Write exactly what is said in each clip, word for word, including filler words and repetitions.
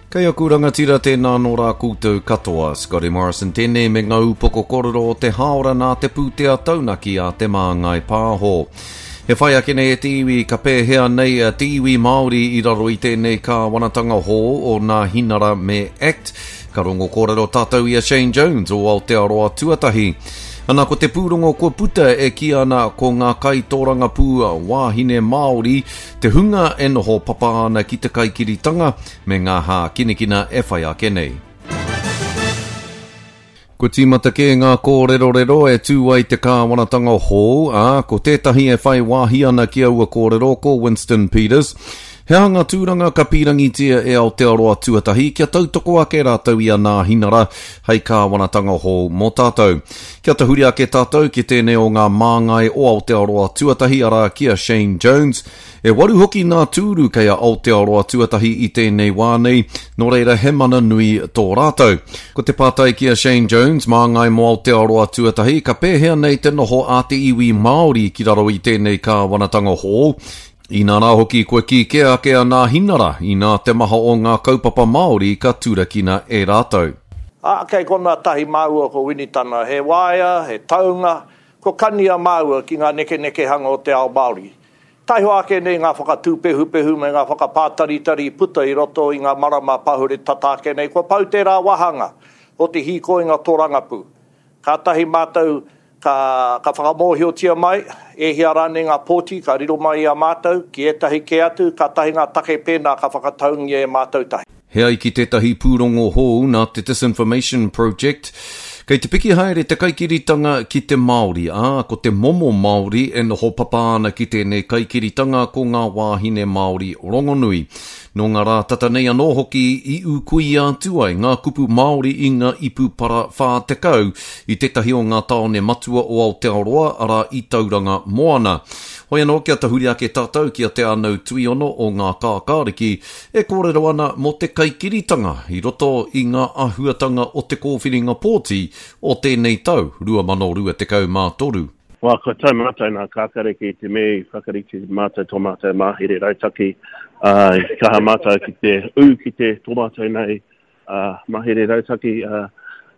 Kei aku rangatira tēnā nō rā koutou katoa. Scotty Morrison tēnei me ngā upoko kōrero o te hāora nā te pūtea taunaki a Te Māngai Pāho. E whai ake nei e te iwi ka pēhea nei te iwi Māori i raro i tēnei kāwanatanga hou o Nāhinara me ACT. Ka rongo kōrero tātou i a Shane Jones o Aotearoa Tuatahi. Ana ko te pūrongo kua puta e kī ana ko ngā kaitōrangapū wāhine Māori te hunga e noho papa ana ki te kaikiritanga me ngā hākinakina e whai ake nei. Kua tīmata kē ngā kōrerorero e tū ai te kāwanatanga hou, ā, ko tētahi e whai wāhi ana ki aua kōrero ko Winston Peters. He aha ngā tūranga ka pīrangitia e Aotearoa Tuatahi kia tautoko ake rātou i a Nāhinara hei kāwanatanga hou mō tātou. Kia tahuri ake tātou ki tēnei o ngā māngai o Aotearoa Tuatahi, arā ki a Shane Jones. E waru hoki ngā tūru kei a Aotearoa Tuatahi i tēnei wā nei, nō reira he mana nui tō rātou. Ko te pātai ki a Shane Jones, māngai mō Aotearoa Tuatahi, ka pēhea nei te noho a te iwi Māori ki raro i tēnei kāwanatanga hou? Inā rā hoki kua kī kē ake a Nāhinara inā te maha o ngā kaupapa Māori ka turakina e rātou. Ā, kei konā tahi māua ko Winitana, he waea, he taunga, kua kania māua ki ngā nekenekehanga o te ao Māori. Taihoa ake nei ngā whakatūpehupehu me ngā whakapātaritari i puta i roto i ngā marama pahure tata ake nei, kua pau tērā wāhanga o te hīkoinga tōrangapū. Kātahi mātou ka, ka whakamōhiotia mai, e hia rānei ngā pōti ka riro mai i a mātou, ki ētahi kē atu, kātahi ngā take pēnā ka whakataungia e mātou tahi. He ai ki tētahi pūrongo hou nā te Disinformation Project, kei te piki haere te kaikiritanga ki te Māori, ā, ko te momo Māori e noho papa ana ki tēnei kaikiritanga ko ngā wāhine Māori rongonui. Nō ngā rā tata nei anō hoki i ūkuia atu ai ngā kupu Māori i ngā ipu para whā tekau i tētahi o ngā tāone matua o Aotearoa, arā i Tauranga Moana. Hoi anō kia tahuri ake tātou ki a Te Ānau Tuiono o Ngā Kākāriki e kōrero ana mō te kaikiritanga i roto i ngā āhuatanga o te kōwhiringa pōti o tēnei tau rua mano rua tekau mā toru. Wā, kua tau mātou nā Kākāriki i te mea i whakarite mātou tō mātou mahere rautaki, ā, i kaha mātou ki te ū ki te tō mātou nei ā, mahere rautaki, ā,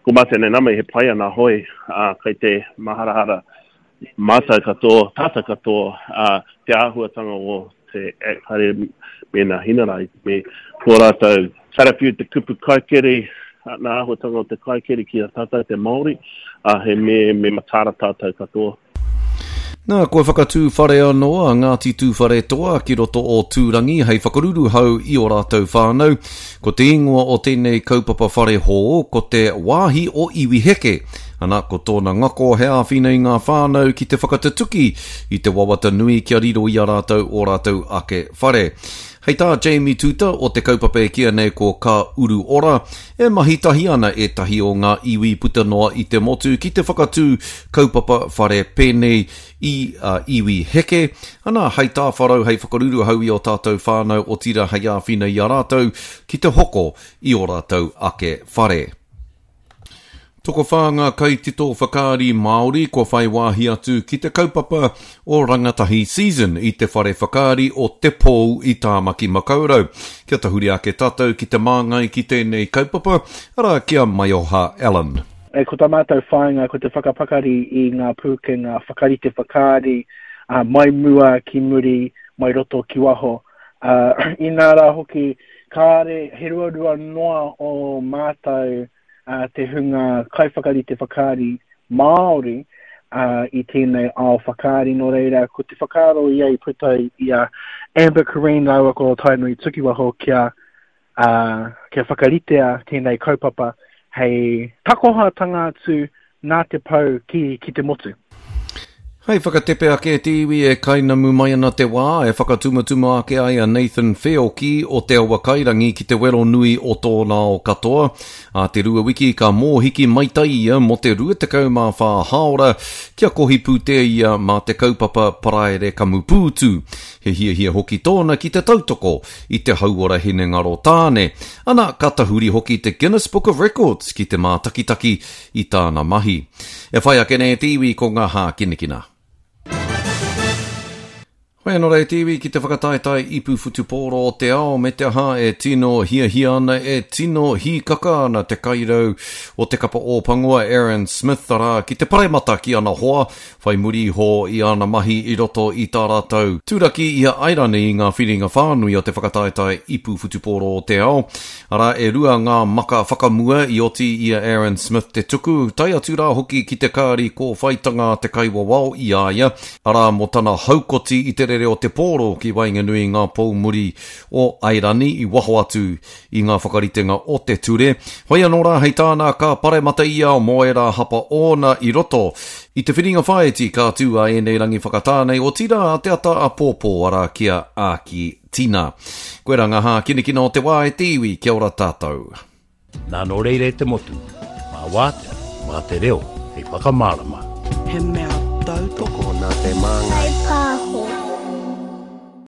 ko mātou nei nama he pai ana hoi, ā, kei te maharahara mātou katoa, tātou katoa, ā, te āhuatanga o te Act haere me nā Hinara i te mea ko rātou karawhiu te kupu kaikiri, nā āhuatanga o te kaikiri ki a tātou te Māori, ā, he me, me mataara tātou katoa. Nā, kua whakatū whare anō a Ngāti Tūwharetoa ki roto o Tūrangi hei whakaruruhau i ō rātou whānau. Ko te ingoa o tēnei kaupapa whare hou, ko te Wāhi o Iwi Heke. Ana, ko tōna ngako he āwhina i ngā whānau ki te whakatutuki i te wawata nui kia riro i a rātou ō rātou ake whare. Hei tā Jamie Tuuta o te kaupapa e kīia nei ko Ka Uru Ora, e mahi tahi ana ētahi o ngā iwi puta noa i te motu ki te whakatū kaupapa whare pēnei i a Iwi Heke, ana hei tāwharau, hei whakaruruhau i ō tātou whānau, otirā hei āwhina i a rātou ki te hoko i ō rātou ake whare. Tokowhā ngā kaitito whakaari Māori kua whai wāhi atu ki te kaupapa o Rangatahi Season i te whare whakaari o Te Pou i Tāmaki Makaurau. Kia tahuri ake tātou ki te māngai ki tēnei kaupapa, arā ki a Maioha Allen. E, ko tā mātou whāinga ko te whakapakari i ngā pūkenga whakarite whakaari, ā, mai mua ki muri, mai roto ki waho. Ā, inā rā hoki, kāre he ruarua noa o mātou te hunga kaiwhakarite whakaari Māori i tēnei ao whakaari, nō reira ko te whakaaro ia i puta i a Amber Curreen rāua ko Tainui Tukiwaho kia, kia whakaritea tēnei kaupapa hei takohatanga atu nā te pou ki, ki te motu. Hei whakatepe ake te iwi e kainamu mai ana te wā e whakatumatuma ake ai a Nathan Wheoki o Te Awa Kairangi ki te wero nui o tōna ao katoa. Ā te rua wiki ka mōhiki maitai ia mō te rua tekau mā whā hāora kia kohi pūtea ia mā te kaupapa Paraire Kamupūtu. He hiahia hoki tōna ki te tautoko i te hauora hinengaro tāne. Ana, ka tahuri hoki te Guinness Book of Records ki te mātakitaki i tāna mahi. E whai ake nei te iwi ko ngā hākinakina. Hoi anō rā e te iwi ki te whakataetae ipu whutupōro o te ao me te aha e tino hiahia ana, e tino hīkaka ana te kairau o te kapa Ōpango a Aaron Smith arā ki te paremata ki ana hoa whai muri iho i ana mahi i roto i tā rātou turaki i a Airani i ngā whiringa whānui o te whakataetae ipu whutupōro o te ao. Arā e rua ngā maka whakamua i oti i a Aaron Smith te tuku, tae atu rā hoki ki te kāri kōwhaitanga a te kaiwawao i a ia, arā mō tana haukoti i te rere o te pōro ki waenganui i ngā pou muri o Airani i waho atu i ngā whakaritenga o te ture. Hoi anō rā hei tāna ka paremata ia mō ērā hapa ōna i roto i te whiringa whāiti ka tū a ēnei rangi whakatā nei, otirā a te ata āpōpō arā ki a Āki Tina. Koirā ngā hākinakina o te wā e te iwi, kia ora tātou. Nā nō reira e te motu, mā wātea, mā te reo hei whakamārama. He mea tautoko. Nā te māngai. Pāho.